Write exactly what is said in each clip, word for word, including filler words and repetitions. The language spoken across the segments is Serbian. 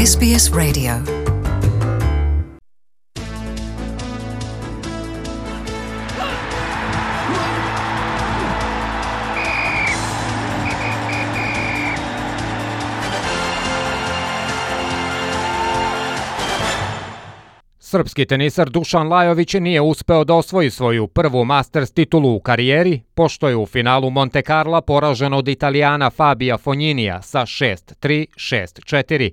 S B S Radio. Srpski tenisar Dušan Lajović nije uspeo da osvoji svoju prvu Masters titulu u karijeri, pošto je u finalu Monte Carla poražen od Italijana Fabija Fogninija sa šest tri, šest četiri.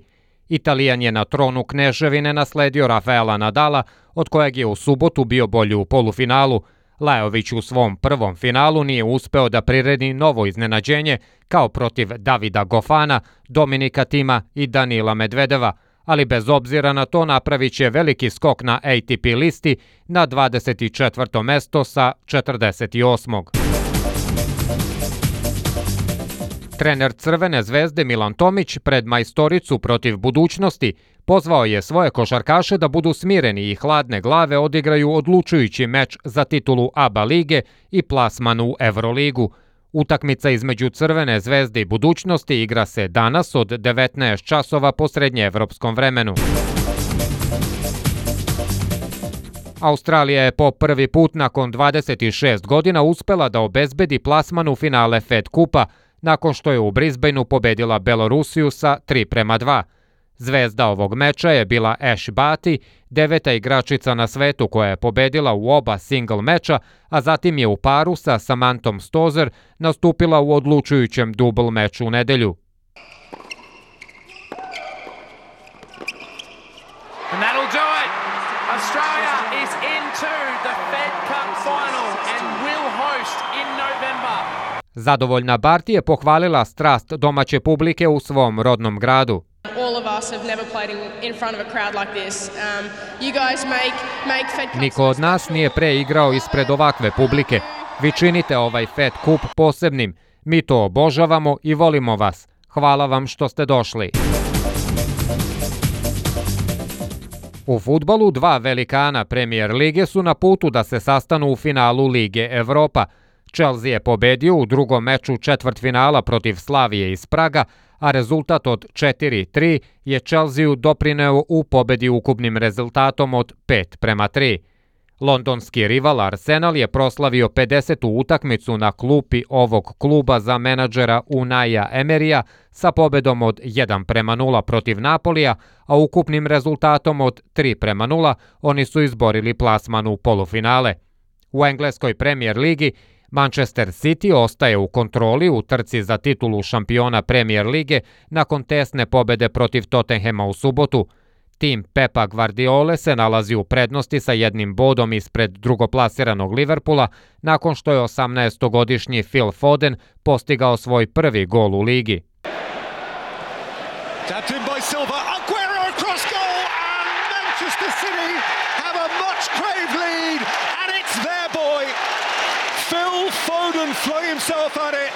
Italijan je na tronu kneževine nasledio Rafaela Nadala, od kojeg je u subotu bio bolji u polufinalu. Lajović u svom prvom finalu nije uspeo da priredi novo iznenađenje kao protiv Davida Gofana, Dominika Tima i Danila Medvedeva, ali bez obzira na to napravit će veliki skok na A T P listi na dvadeset četvrto mesto sa četrdeset osmog Trener Crvene zvezde Milan Tomić pred majstoricu protiv budućnosti pozvao je svoje košarkaše da budu smireni i hladne glave odigraju odlučujući meč za titulu A B A lige i plasman u Evroligu. Utakmica između Crvene zvezde i budućnosti igra se danas od devetnaest časova po srednjeevropskom vremenu. Australija je po prvi put nakon dvadeset šest godina uspela da obezbedi plasman u finale Fed kupa, nakon što je u Brisbaneu pobedila Belorusiju sa tri prema dva. Zvezda ovog meča je bila Ash Barty, deveta igračica na svetu koja je pobedila u oba single meča, a zatim je u paru sa Samanthom Stosur nastupila u odlučujućem dubl meču u nedelju. And that'll do it. Australia is into the Fed Cup final and will host in November. Zadovoljna Barty je pohvalila strast domaće publike u svom rodnom gradu. All of us have never played in, in front of a crowd like this. Um, you guys make, make Fed Cup. Niko od nas nije pre igrao ispred ovakve publike. Vi činite ovaj Fed Cup posebnim. Mi to obožavamo i volimo vas. Hvala vam što ste došli. U fudbalu dva velikana Premier lige su na putu da se sastanu u finalu Lige Evropa. Chelsea je pobedio u drugom meču četvrtfinala protiv Slavije iz Praga, a rezultat od četiri tri je Chelsea doprineo u pobedi ukupnim rezultatom od pet prema tri. Londonski rival Arsenal je proslavio pedesetu utakmicu na klupi ovog kluba za menadžera Unaia Emeryja sa pobedom od jedan prema nula protiv Napolija, a ukupnim rezultatom od tri prema nula oni su izborili plasman u polufinale. U engleskoj Premier ligi Manchester City ostaje u kontroli u trci za titulu šampiona Premier lige nakon tesne pobede protiv Tottenhama u subotu. Tim Pepa Guardiole se nalazi u prednosti sa jednim bodom ispred drugoplasiranog Liverpoola nakon što je osamnaestogodišnji Phil Foden postigao svoj prvi gol u ligi. Phil Foden flung himself at it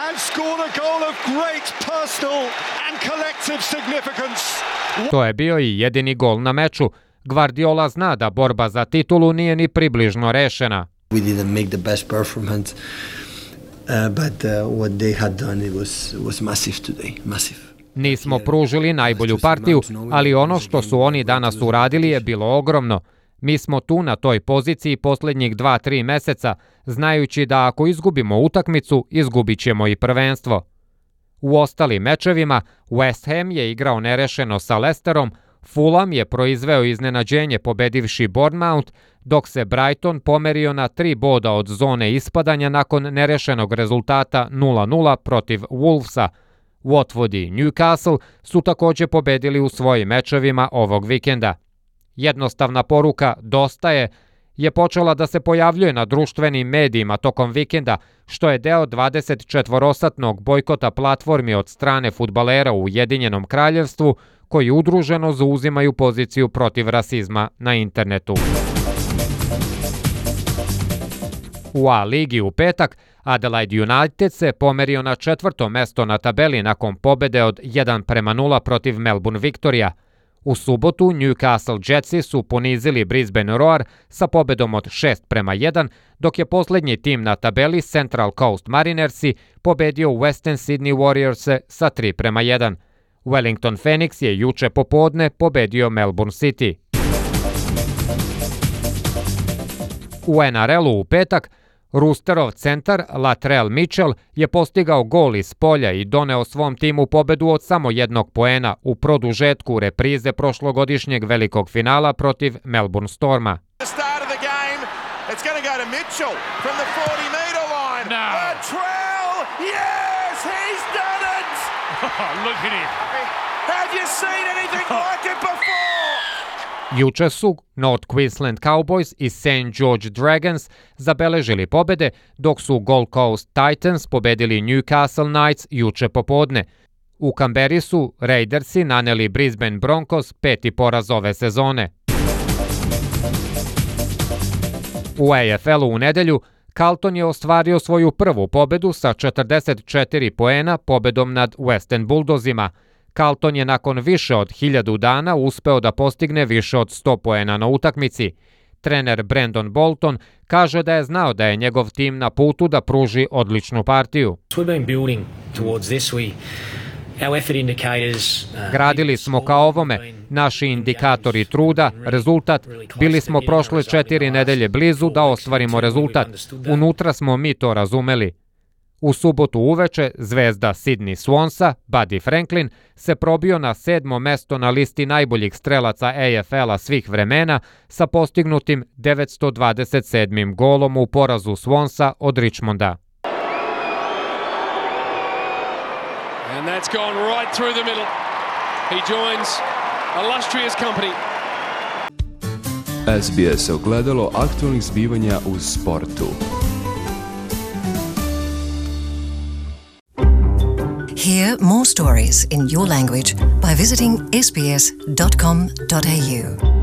and scored a goal of great personal and collective significance. To je bio i jedini gol na meču. Guardiola zna da borba za titulu nije ni približno rešena. We didn't make the best performance, uh, but uh, what they had done it was was massive today, massive. Nismo pružili najbolju partiju, ali ono što su oni danas uradili je bilo ogromno. Mi smo tu na toj poziciji posljednjih dva tri meseca, znajući da ako izgubimo utakmicu, izgubit ćemo i prvenstvo. U ostalim mečevima, West Ham je igrao nerešeno sa Leicesterom, Fulham je proizveo iznenađenje pobedivši Bournemouth, dok se Brighton pomerio na tri boda od zone ispadanja nakon nerešenog rezultata nula nula protiv Wolvesa. Watford i Newcastle su također pobedili u svojim mečevima ovog vikenda. Jednostavna poruka "dosta je" je počela da se pojavljuje na društvenim medijima tokom vikenda, što je deo dvadesetčetvorosatnog bojkota platformi od strane fudbalera u Ujedinjenom kraljevstvu, koji udruženo zauzimaju poziciju protiv rasizma na internetu. U A ligi u petak Adelaide United se pomerio na četvrto mesto na tabeli nakon pobede od jedan prema nula protiv Melbourne Victoria. U subotu Newcastle Jetsi su ponizili Brisbane Roar sa pobedom od šest prema jedan, dok je posljednji tim na tabeli Central Coast Marinersi pobedio Western Sydney Warriors sa tri prema jedan. Wellington Phoenix je juče popodne pobedio Melbourne City. U N R L-u u petak Roosterov centar Latrell Mitchell je postigao gol iz polja i doneo svom timu pobedu od samo jednog poena u produžetku reprize prošlogodišnjeg velikog finala protiv Melbourne Storma. It's going to go to Mitchell from the forty metre line. No. Latrell, yes, he's done it. Look at him. Have you seen anything like it before? Juče su North Queensland Cowboys i Saint George Dragons zabeležili pobede, dok su Gold Coast Titans pobedili Newcastle Knights juče popodne. U Kamberi su Raidersi naneli Brisbane Broncos peti poraz ove sezone. U A F L-u u nedelju Carlton je ostvario svoju prvu pobedu sa četrdeset četiri poena pobedom nad Western Bulldozima. Carlton je nakon više od hiljadu dana uspeo da postigne više od sto poena na utakmici. Trener Brandon Bolton kaže da je znao da je njegov tim na putu da pruži odličnu partiju. Gradili smo ka ovome, naši indikatori truda, rezultat, bili smo prošle četiri nedelje blizu da ostvarimo rezultat. Unutra smo mi to razumeli. U subotu uveče zvezda Sydney Swansa, Buddy Franklin, se probio na sedmo mesto na listi najboljih strelaca A F L-a svih vremena sa postignutim devetsto dvadeset sedmim golom u porazu Swansa od Richmonda. And that's gone right through the middle. He joins illustrious company. S B S ogledalo aktualnih zbivanja u sportu. Hear more stories in your language by visiting s b s dot com dot a u.